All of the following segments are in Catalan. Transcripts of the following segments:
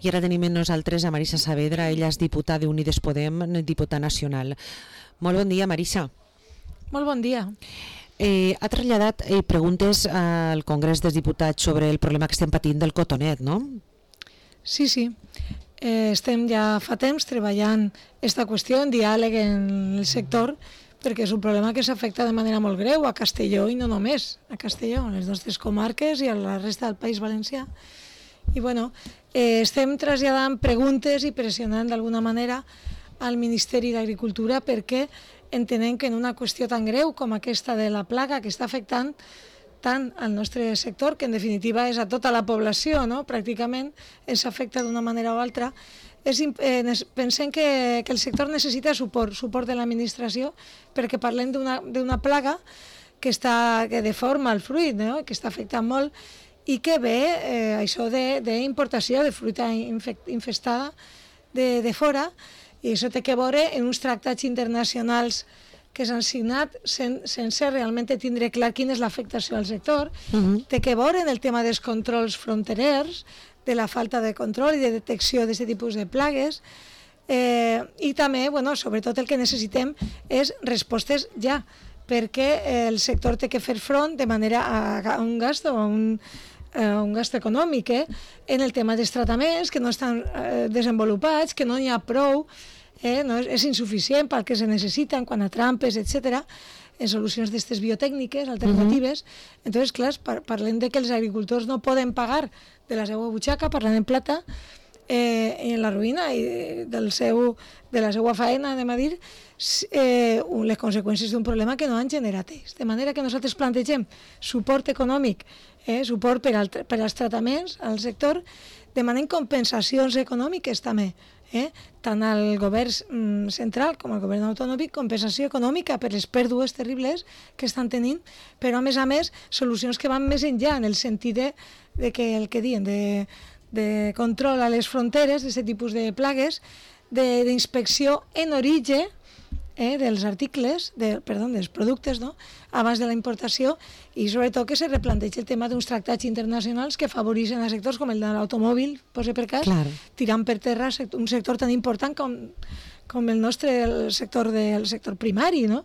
I ara tenim amb nosaltres a Marisa Saavedra, ella és diputada d'Unides Podem, diputada nacional. Molt bon dia, Marisa. Molt bon dia. Ha traslladat preguntes al Congrés dels Diputats sobre el problema que estem patint del cotonet, no? Sí. Estem ja fa temps treballant aquesta qüestió en diàleg en el sector, perquè és un problema que s'afecta de manera molt greu a Castelló i no només a Castelló, a les nostres comarques i a la resta del País Valencià. I estem traslladant preguntes i pressionant d'alguna manera al Ministeri d'Agricultura perquè entenem que en una qüestió tan greu com aquesta de la plaga que està afectant tant al nostre sector, que en definitiva és a tota la població, no? Pràcticament ens afecta d'una manera o altra, pensem que el sector necessita suport de l'administració, perquè parlem d'una plaga que deforma el fruit, no? Que està afectant molt i que ve això d'importació de fruita infestada de fora, i això té que veure en uns tractats internacionals que s'han signat sense realment tindre clar quina és l'afectació al sector, té que veure en el tema dels controls fronterers, de la falta de control i de detecció d'aquest tipus de plagues, i també, sobretot el que necessitem és respostes ja, perquè el sector té que fer front de manera a un gast o a un gast econòmic en el tema dels tractaments que no estan desenvolupats, que no n'hi ha prou, és insuficient pel que se necessiten quan a trampes, etc., en solucions d'aquestes biotècniques alternatives. Entonces, clar, parlem de que els agricultors no poden pagar de la seva butxaca, parlant en plata, en la ruïna de la seva faena, anem a dir, les conseqüències d'un problema que no han generat ells. De manera que nosaltres plantegem suport econòmic, suport per als tractaments al sector, demanem compensacions econòmiques també, tant al govern central com al govern autonòmic, compensació econòmica per les pèrdues terribles que estan tenint, però a més solucions que van més enllà en el sentit de que el que diuen de control a les fronteres d'aquest tipus de plagues, d'inspecció en origen dels articles, dels productes, no? Abans de la importació, i sobretot que se replantegi el tema d'uns tractats internacionals que afavoreixen a sectors com el de l'automòbil, posa per cas, tirant per terra un sector tan important com el nostre, el sector primari, no?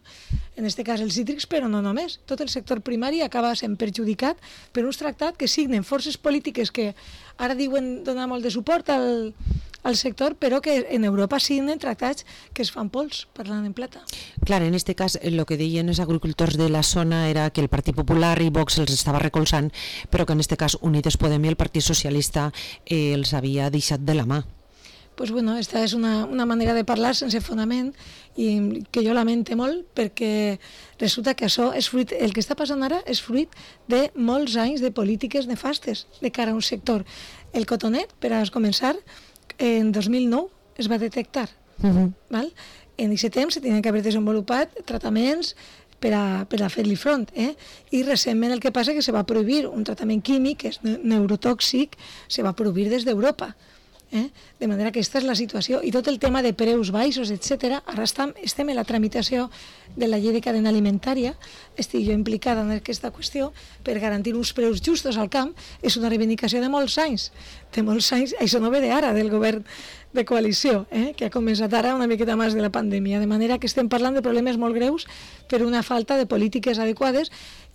En aquest cas els cítrics, però no només. Tot el sector primari acaba sent perjudicat per uns tractats que signen forces polítiques que ara diuen donar molt de suport al sector, però que en Europa signen tractats que es fan pols, parlant en plata. Clar, en aquest cas el que deien els agricultors de la zona era que el Partit Popular i Vox els estava recolzant, però que en aquest cas Unides Podem i el Partit Socialista els havia deixat de la mà. Pues esta és una manera de parlar sense fonament i que jo lamente molt, perquè resulta que això és fruit, el que està passant ara és fruit de molts anys de polítiques nefastes de cara a un sector. El cotonet, per a començar, en 2009 es va detectar. Val? En aquest temps s'havien d'haver desenvolupat tractaments per a fer-li front. I recentment el que passa és que se va prohibir un tractament químic, que és neurotòxic, se va prohibir des d'Europa. De manera que aquesta és la situació, i tot el tema de preus baixos, etc. Ara estem en la tramitació de la llei de cadena alimentària, estic jo implicada en aquesta qüestió per garantir uns preus justos al camp. És una reivindicació de molts anys, això no ve d'ara, del govern de coalició, que ha començat ara una miqueta més de la pandèmia, de manera que estem parlant de problemes molt greus per una falta de polítiques adequades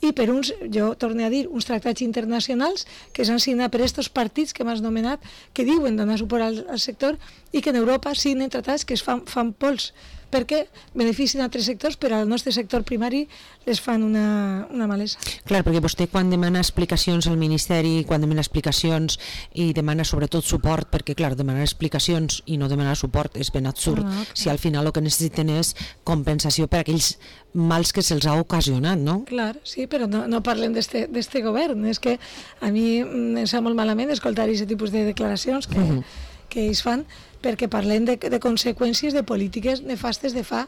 i per jo torno a dir, uns tractats internacionals que s'han signat per aquests partits que m'has nomenat, que diuen donar suport al sector i que en Europa signen tractats que es fan pols, perquè beneficien altres sectors, però al nostre sector primari les fan una malesa. Clar, perquè vostè quan demana explicacions al Ministeri, quan demana explicacions i demana sobretot suport, perquè clar, demanar explicacions i no demanar suport és ben absurd, si al final el que necessiten és compensació per aquells mals que se'ls ha ocasionat, no? Clar, sí, però no parlem d'este govern, és que a mi em sap molt malament escoltar aquest tipus de declaracions que ells fan, perquè parlem de conseqüències de polítiques nefastes de fa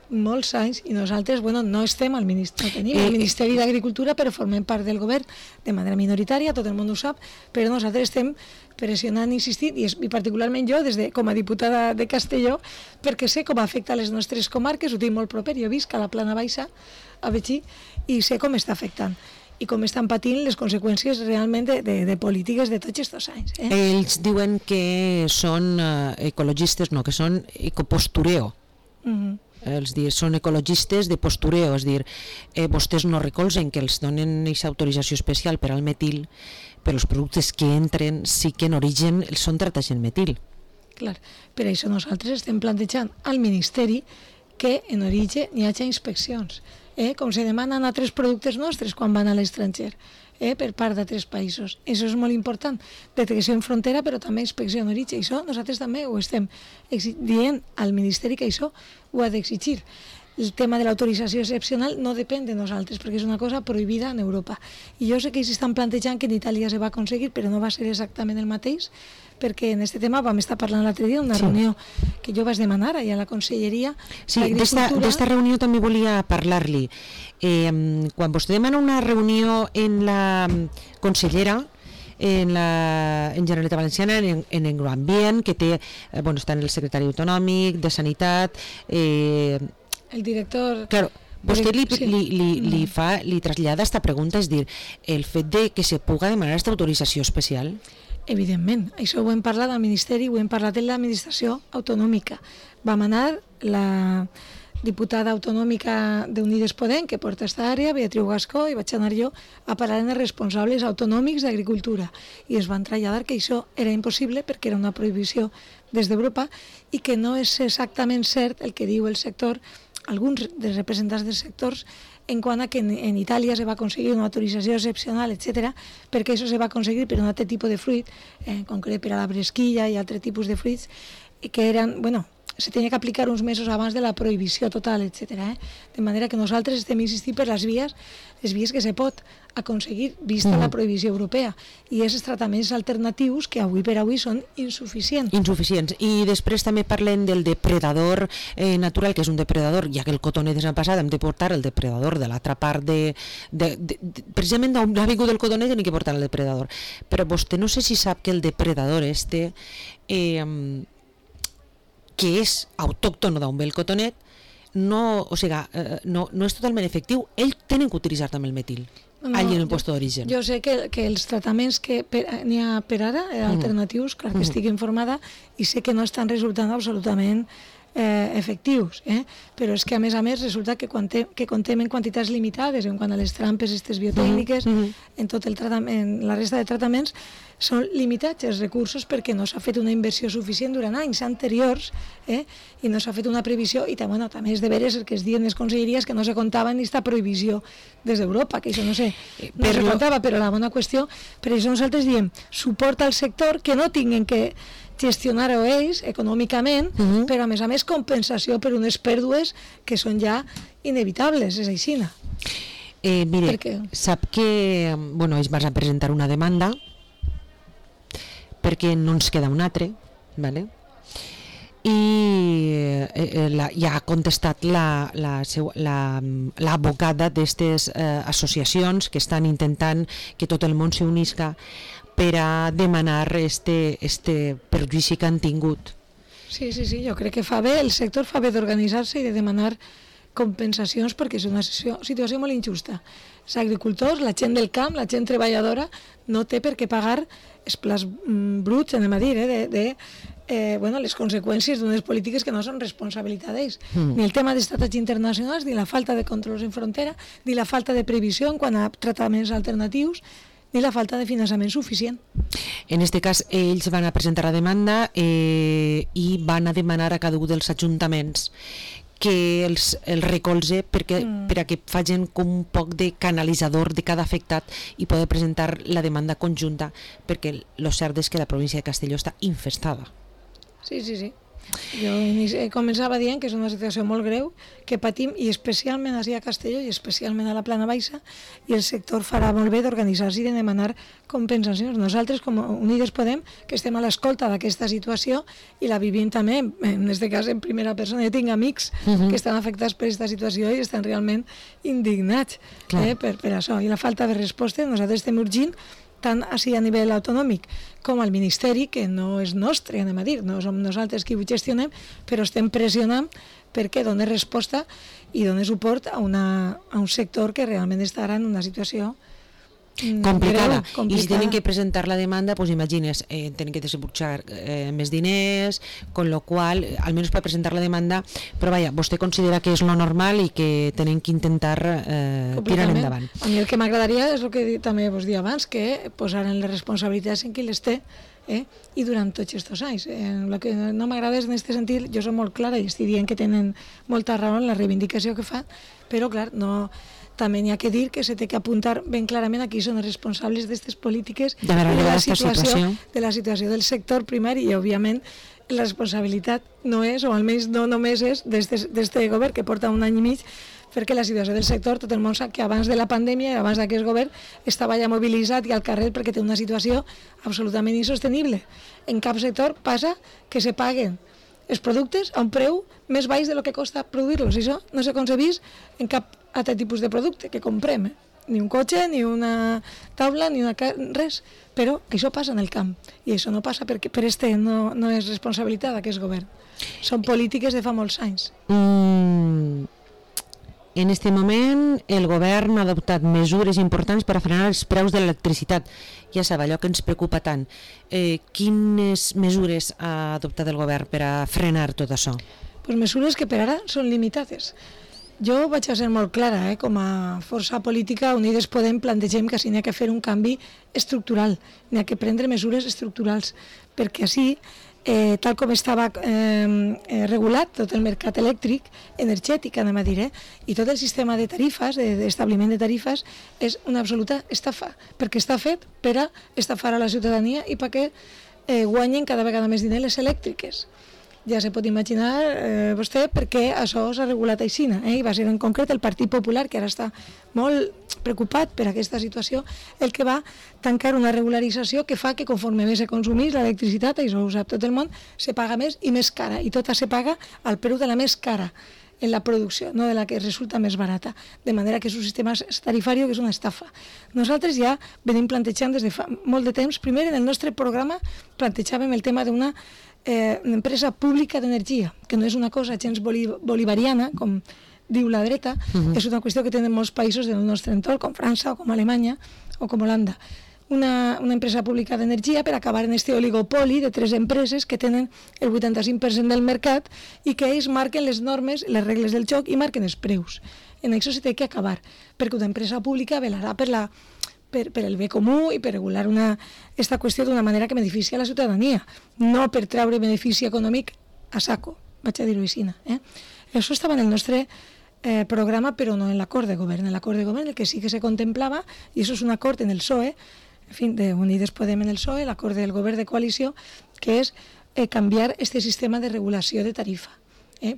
molts anys, i nosaltres no estem no tenim el Ministeri d'Agricultura, però formem part del govern de manera minoritària, tot el món ho sap, però nosaltres estem pressionant, insistint, i particularment jo, com a diputada de Castelló, perquè sé com afecta les nostres comarques, ho tinc molt proper, jo visc a la Plana Baixa, a Betxí, i sé com està afectant. i com estan patint les conseqüències realment de polítiques de tots aquests anys. Ells diuen que són ecologistes, no, que són ecopostureo. Són ecologistes de postureo, és dir, vostès no recolzen que els donen aquesta autorització especial per al metil, però els productes que entren sí que en origen són tractats en metil. Clar, per això nosaltres estem plantejant al Ministeri que en origen hi hagi inspeccions, com se demanen a altres productes nostres quan van a l'estranger, per part d'altres països. Això és molt important, detecció en frontera, però també inspecció en origen. Això nosaltres també ho estem dient al Ministeri, que això ho ha d'exigir. El tema de l'autorització excepcional no depèn de nosaltres, perquè és una cosa prohibida en Europa. I jo sé que ells estan plantejant que en Itàlia se va aconseguir, però no va ser exactament el mateix, perquè en aquest tema vam estar parlant l'altre dia, una reunió que jo vaig demanar allà a la Conselleria d'Agricultura. D'esta reunió també volia parlar-li. Quan vostè demana una reunió en la consellera, en Generalitat Valenciana, en Agroambient, que té, està en el secretari autonòmic de Sanitat, el director... Claro, vostè li trasllada esta pregunta, és dir, el fet de que se puga demanar aquesta autorització especial? Evidentment, això ho hem parlat al Ministeri, ho hem parlat en l'administració autonòmica. Vam anar la diputada autonòmica d'Unides Podem, que porta aquesta àrea, Beatriu Gascó, i vaig anar jo a parlar amb els responsables autonòmics d'Agricultura, i es van traslladar que això era impossible perquè era una prohibició des d'Europa i que no és exactament cert el que diu el sector, alguns dels representants dels sectors, en quant a que en Itàlia se va aconseguir una autorització excepcional, etc., perquè això se va aconseguir per un altre tipus de fruit, en concret per a la bresquilla i altres tipus de fruits, que eren, se tenia que aplicar uns mesos abans de la prohibició total, etc. De manera que nosaltres estem insistint per les vies que se pot aconseguir vista la prohibició europea, i aquests tractaments alternatius que avui per avui són insuficients. I després també parlem del depredador natural, que és un depredador, ja que el cotonet és en passat, hem de portar el depredador de l'altra part precisament d'on ha vingut el cotonet hem de portar el depredador. Però vostè no sé si sap que el depredador que és autòcton d'on ve el cotonet, no és totalment efectiu. Ells tenen que utilitzar també el metil allà en el lloc d'origen. Jo sé que els tractaments que n'hi ha per ara, alternatius, clar que estic informada, i sé que no estan resultant absolutament efectius, però és que a més resulta que contem en quantitats limitades en quant a les trampes aquestes biotècniques, en tot el tractament, la resta de tractaments són limitats els recursos perquè no s'ha fet una inversió suficient durant anys anteriors, i no s'ha fet una previsió, i també és de veres el que es diuen les conselleries que no se comptava ni aquesta prohibició des d'Europa, que això no se comptava, però la bona qüestió, per això nosaltres diem suport al sector, que no tinguin que gestionar-ho ells econòmicament, però a més compensació per unes pèrdues que són ja inevitables, és així. Mire, sap que ells van presentar una demanda perquè no ens queda un altre, i ja ha contestat l'advocada d'aquestes associacions que estan intentant que tot el món s'unisca per a demanar este perjudici que han tingut. Sí, jo crec que fa bé, el sector fa bé d'organitzar-se i de demanar compensacions perquè és una situació molt injusta. Els agricultors, la gent del camp, la gent treballadora, no té per què pagar els plats bruts, anem a dir, les conseqüències d'unes polítiques que no són responsabilitat d'ells. Ni el tema dels tractats internacionals, ni la falta de controls en frontera, ni la falta de previsió en quant a tractaments alternatius, ni la falta de finançament suficient. En aquest cas, ells van a presentar la demanda i van a demanar a cada un dels ajuntaments que els recolze per a que facin com un poc de canalitzador de cada afectat i poder presentar la demanda conjunta, perquè el cert és que la província de Castelló està infestada. Sí. Jo començava dient que és una situació molt greu que patim, i especialment així a Castelló i especialment a la Plana Baixa, i el sector farà molt bé d'organitzar-se i de demanar compensacions. Nosaltres, com Unides Podem, que estem a l'escolta d'aquesta situació i la vivim també, en aquest cas en primera persona. Jo tinc amics que estan afectats per aquesta situació i estan realment indignats per això. I la falta de resposta, nosaltres estem urgint tant així a nivell autonòmic com al Ministeri, que no és nostre, anem a dir, no som nosaltres qui ho gestionem, però estem pressionant perquè doni resposta i doni suport a un sector que realment estarà en una situació complicada. I si tenen que presentar la demanda, pues imagines, tenen que desembolsar més diners, con lo qual, almenys per presentar la demanda, però vaja, vostè considera que és lo normal i que tenen que intentar tirar endavant. A mi el que m'agradaria és el que també vos dia abans, que posaren les responsabilitats en qui les té, i durant tots aquests anys. El que no m'agrada és en aquest sentit, jo soc molt clara i estic dient que tenen molta raó en la reivindicació que fan, però clar, no, també n'hi ha que dir que se té que apuntar ben clarament a qui són els responsables d'aquestes polítiques de la situació del sector primari, i òbviament la responsabilitat no és, o almenys no només és d'este govern que porta un any i mig, perquè la situació del sector, tot el món sap que abans de la pandèmia i abans d'aquest govern estava ja mobilitzat i al carrer perquè té una situació absolutament insostenible. En cap sector passa que se paguen els productes a un preu més baix de lo que costa produir-los. Això no s'ha concebit en cap altre tipus de producte que comprem, ni un cotxe, ni una taula, ni res, però això passa en el camp, i això no passa perquè no és responsabilitat d'aquest govern. Són polítiques de fa molts anys. En aquest moment el govern ha adoptat mesures importants per a frenar els preus de l'electricitat. Ja sap, allò que ens preocupa tant. Quines mesures ha adoptat el govern per a frenar tot això? Pues mesures que per ara són limitades. Jo vaig a ser molt clara, com a força política, Unides Podem plantegem que n'hi ha que fer un canvi estructural, n'hi ha que prendre mesures estructurals, perquè així, tal com estava regulat tot el mercat elèctric, energètic, anem a dir, i tot el sistema de tarifes, d'establiment de tarifes, és una absoluta estafa, perquè està fet per a estafar a la ciutadania i perquè guanyen cada vegada més diners les elèctriques. Ja se pot imaginar vostè per què això s'ha regulat així, i va ser en concret el Partit Popular, que ara està molt preocupat per aquesta situació, el que va tancar una regularització que fa que conforme més se consumís l'electricitat, això ho sap tot el món, se paga més i més cara, i tota se paga al preu de la més cara en la producció, no de la que resulta més barata, de manera que és un sistema tarifari que és una estafa. Nosaltres ja venim plantejant des de fa molt de temps, primer en el nostre programa plantejàvem el tema d'una empresa pública d'energia, que no és una cosa gens bolivariana, com diu la dreta, és una qüestió que tenen molts països del nostre entorn, com França, o com Alemanya, o com Holanda. Una empresa pública d'energia per acabar en este oligopoli de 3 empreses que tenen el 85% del mercat i que ells marquen les normes, les regles del joc i marquen els preus. En això s'ha de acabar, perquè una empresa pública velarà per el bé comú i per regular aquesta qüestió d'una manera que beneficia a la ciutadania, no per treure benefici econòmic a saco, vaig a dir-ho així. Això estava en el nostre programa, però no en l'acord de govern. En l'acord de govern el que sí que se contemplava, i això és un acord en el PSOE, en fi, d'Unides Podem en el PSOE, l'acord del govern de coalició, que és canviar aquest sistema de regulació de tarifa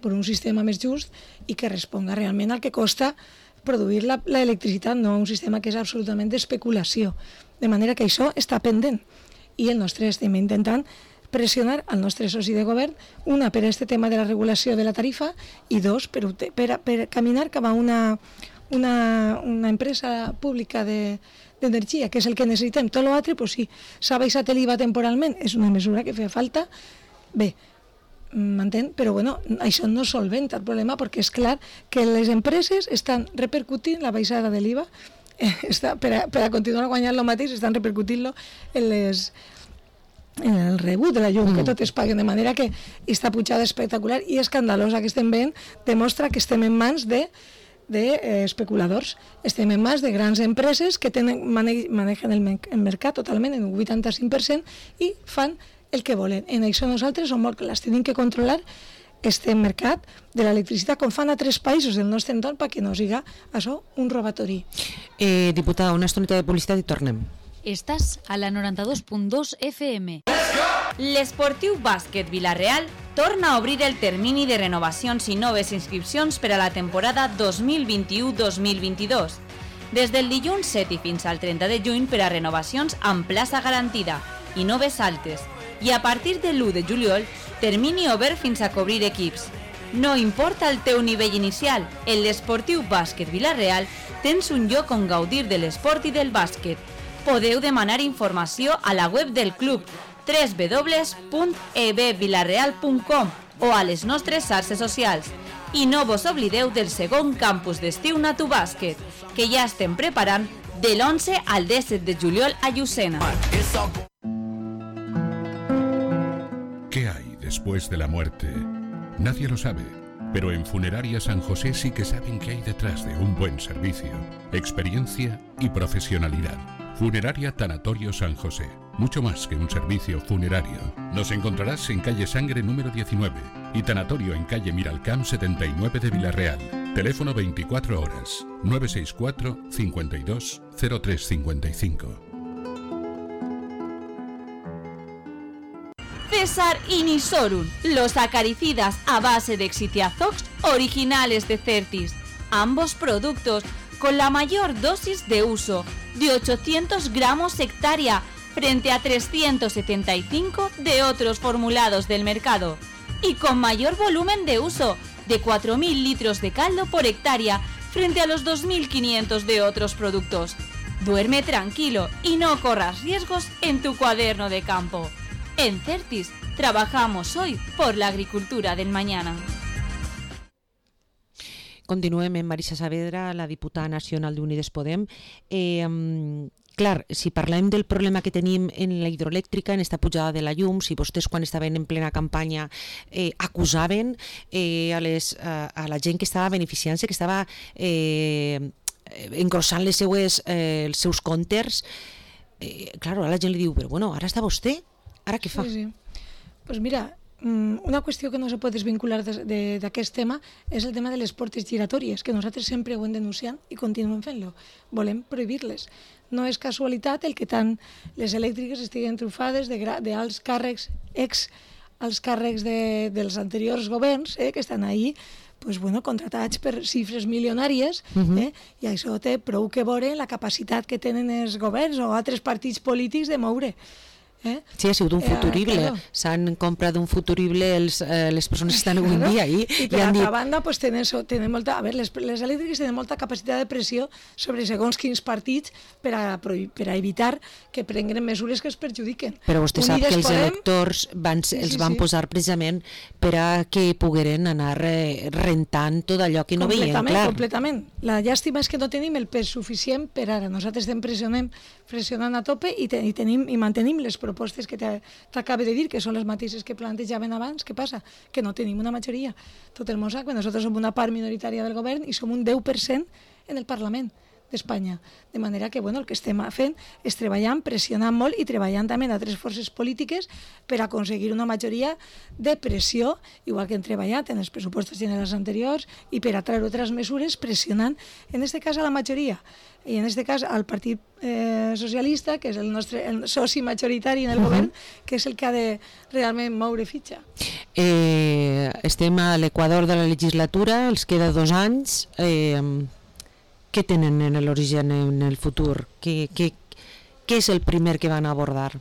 per un sistema més just i que responga realment al que costa produir l'electricitat, no un sistema que és absolutament d'especulació. De manera que això està pendent. I el nostre estem intentant pressionar al nostre soci de govern, una, per aquest tema de la regulació de la tarifa, i dos, per caminar cap a una empresa pública d'energia, que és el que necessitem. Tot l'altre, pues sí, s'ha baixat l'IVA temporalment, és una mesura que feia falta. Bé, m'entén? Però bueno, això no solventa el problema, perquè és clar que les empreses estan repercutint la baixada de l'IVA, per a continuar guanyant el mateix, estan repercutint-lo en el rebut de la llum, que totes paguen, de manera que aquesta pujada espectacular i escandalosa que estem veient demostra que estem en mans d'especuladors, estem en mans de grans empreses que manegen el mercat totalment en un 85% i fan el que volen. En això nosaltres som molt clars, tenim que controlar este mercat de l'electricitat com fan a 3 països del nostre entorn perquè no siga això un robatori. Diputada, una estoneta de publicitat i tornem. Estàs a la 92.2 FM. L'Esportiu Bàsquet Vila-real torna a obrir el termini de renovacions i noves inscripcions per a la temporada 2021-2022. Des del dilluns 7 i fins al 30 de juny per a renovacions amb plaça garantida i noves altes. I a partir de l'1 de juliol, termini obert fins a cobrir equips. No importa el teu nivell inicial, en l'Esportiu Bàsquet Vila-real tens un lloc on gaudir de l'esport i del bàsquet. Podeu demanar informació a la web del club www.ebvilareal.com o a les nostres xarxes socials. I no vos oblideu del segon campus d'estiu Natu Bàsquet, que ja estem preparant del 11 al 17 de juliol a Llucena. ¿Qué hay después de la muerte? Nadie lo sabe, pero en Funeraria San José sí que saben qué hay detrás de un buen servicio, experiencia y profesionalidad. Funeraria Tanatorio San José, mucho más que un servicio funerario. Nos encontrarás en calle Sangre número 19 y Tanatorio en calle Miralcamp 79 de Villarreal. Teléfono 24 horas, 964 52 0355. César y Nisorun, los acaricidas a base de Exitiazox originales de Certis. Ambos productos con la mayor dosis de uso, de 800 gramos hectárea, frente a 375 de otros formulados del mercado. Y con mayor volumen de uso, de 4.000 litros de caldo por hectárea, frente a los 2.500 de otros productos. Duerme tranquilo y no corras riesgos en tu cuaderno de campo. En Certis, trabajamos hoy por la agricultura del mañana. Continuem amb Marisa Saavedra, la diputada nacional d'Unides Podem. Clar, si parlem del problema que tenim en la hidroelèctrica, en esta pujada de la llum, si vostès quan estaven en plena campanya acusaven a la gent que estava beneficiant-se, que estava engrossant els seus comptes, clar, ara la gent li diu, però bueno, ara està vostè, ara què fa? Sí. Pues mira, una qüestió que no se pot desvincular d'aquest tema és el tema de les portes giratòries, que nosaltres sempre ho hem denunciat i continuem fent-lo. Volem prohibir-les. No és casualitat el que tant les elèctriques estiguen trufades d'alts càrrecs, alts càrrecs dels anteriors governs, que estan ahí contratats per xifres milionàries, i això té prou que veure la capacitat que tenen els governs o altres partits polítics de moure. Sí, ha sigut un futurible. S'han comprat un futurible les persones que estan avui en dia. I per altra banda, tenen molta... A veure, les elèctriques tenen molta capacitat de pressió sobre segons quins partits per a evitar que prenguen mesures que es perjudiquen. Però vostè sap que els electors els van posar precisament per a que pogueren anar rentant tot allò que no veien clar. Completament. La llàstima és que no tenim el pes suficient per ara. Nosaltres estem pressionant a tope i mantenim les propostes que t'acabo de dir, que són les mateixes que plantejaven abans. Què passa? Que no tenim una majoria. Tot el món sap que nosaltres som una part minoritària del govern i som un 10% en el Parlament d'Espanya. De manera que el que estem fent és treballant, pressionant molt i treballant també en altres forces polítiques per aconseguir una majoria de pressió, igual que hem treballat en els pressupostos generals anteriors, i per a treure altres mesures pressionant, en aquest cas a la majoria, i en aquest cas al Partit Socialista, que és el soci majoritari en el govern, que és el que ha de realment moure fitxa. Estem a l'equador de la legislatura, els queda 2 anys. Què tenen en l'origen, en el futur? Què és el primer que van abordar?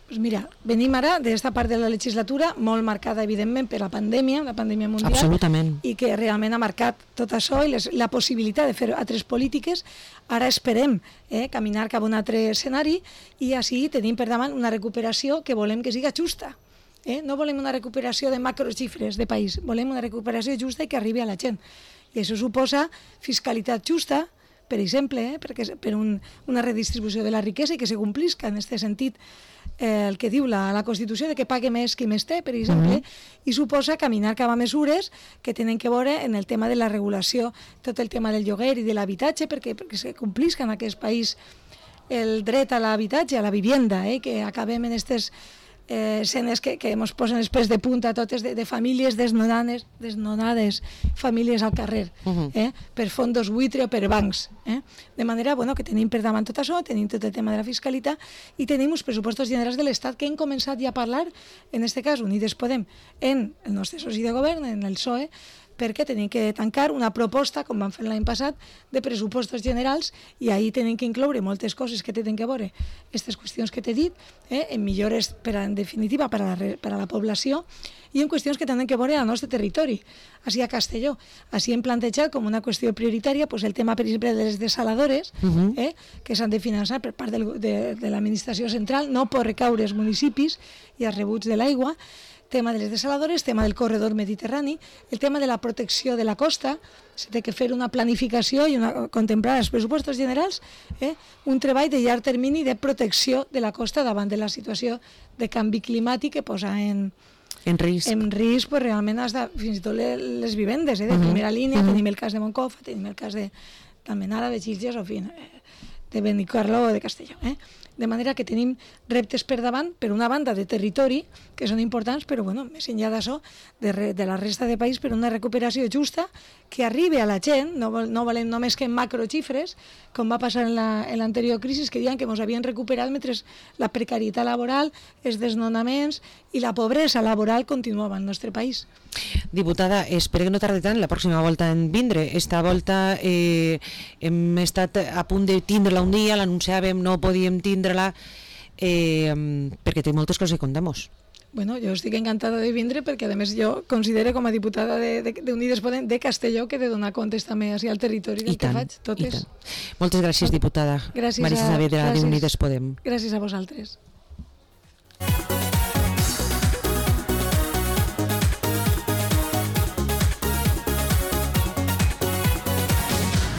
Pues mira, venim ara d'esta part de la legislatura molt marcada, evidentment, per la pandèmia mundial. Absolutament. I que realment ha marcat tot això i la possibilitat de fer altres polítiques. Ara esperem caminar cap a un altre escenari i així tenim per davant una recuperació que volem que siga justa. No volem una recuperació de macroxifres de país, volem una recuperació justa i que arribi a la gent. I això suposa fiscalitat justa, per exemple, per una redistribució de la riquesa i que se complisca en aquest sentit el que diu la Constitució, de que pague més qui més té, per exemple, i suposa caminar cap a mesures que tenen que veure en el tema de la regulació, tot el tema del lloguer i de l'habitatge, perquè se complisca en aquest país el dret a l'habitatge, a la vivienda, que acabem en aquestes escenes que ens posen els pèls de punta totes de famílies desnonades, famílies al carrer, per fondos buitre o per bancs. De manera que tenim per davant tot això, tenim tot el tema de la fiscalitat i tenim uns pressupostos generals de l'Estat que hem començat ja a parlar, en aquest cas Unides Podem, en el nostre soci de govern, en el PSOE, perquè tenim que tancar una proposta, com vam fer l'any passat, de pressupostos generals i ahir tenim que incloure moltes coses que tenen que veure aquestes qüestions que t'he dit, en millores, en definitiva, per a la població i en qüestions que tenen que veure al nostre territori, així a Castelló. Així hem plantejat com una qüestió prioritària el tema, per exemple, de les desaladores, que s'han de finançar per part de l'administració central, no pot recaure als municipis i als rebuts de l'aigua, tema de les desaladores, tema del corredor mediterrani, el tema de la protecció de la costa, s'ha de fer una planificació i contemplar els pressupostos generals, un treball de llarg termini de protecció de la costa davant de la situació de canvi climàtic que posa en risc pues, realment fins i tot les vivendes de primera línia. Tenim el cas de Moncofa, tenim el cas de Almenara, de Sitges o de Benicarló o de Castelló. De manera que tenim reptes per davant, per una banda de territori, que són importants, però més enllà d'això, de la resta de país, per una recuperació justa que arribi a la gent, no volem només que en macroxifres, com va passar en l'anterior crisi, que diuen que ens havien recuperat mentre la precarietat laboral, els desnonaments i la pobresa laboral continuava al nostre país. Diputada, espero que no tardi tant la pròxima volta en vindre. Esta volta hem estat a punt de tindre-la un dia, l'anunciàvem, no podíem tindre-la, perquè té moltes coses que contar-nos. Bueno, jo estic encantada de vindre perquè, a més, jo considero com a diputada d'Unides Podem de Castelló que he de donar comptes també al territori del que faig, totes. Moltes gràcies, diputada. Gràcies Marisa Saavedra, d'Unides Podem. Gràcies a vosaltres.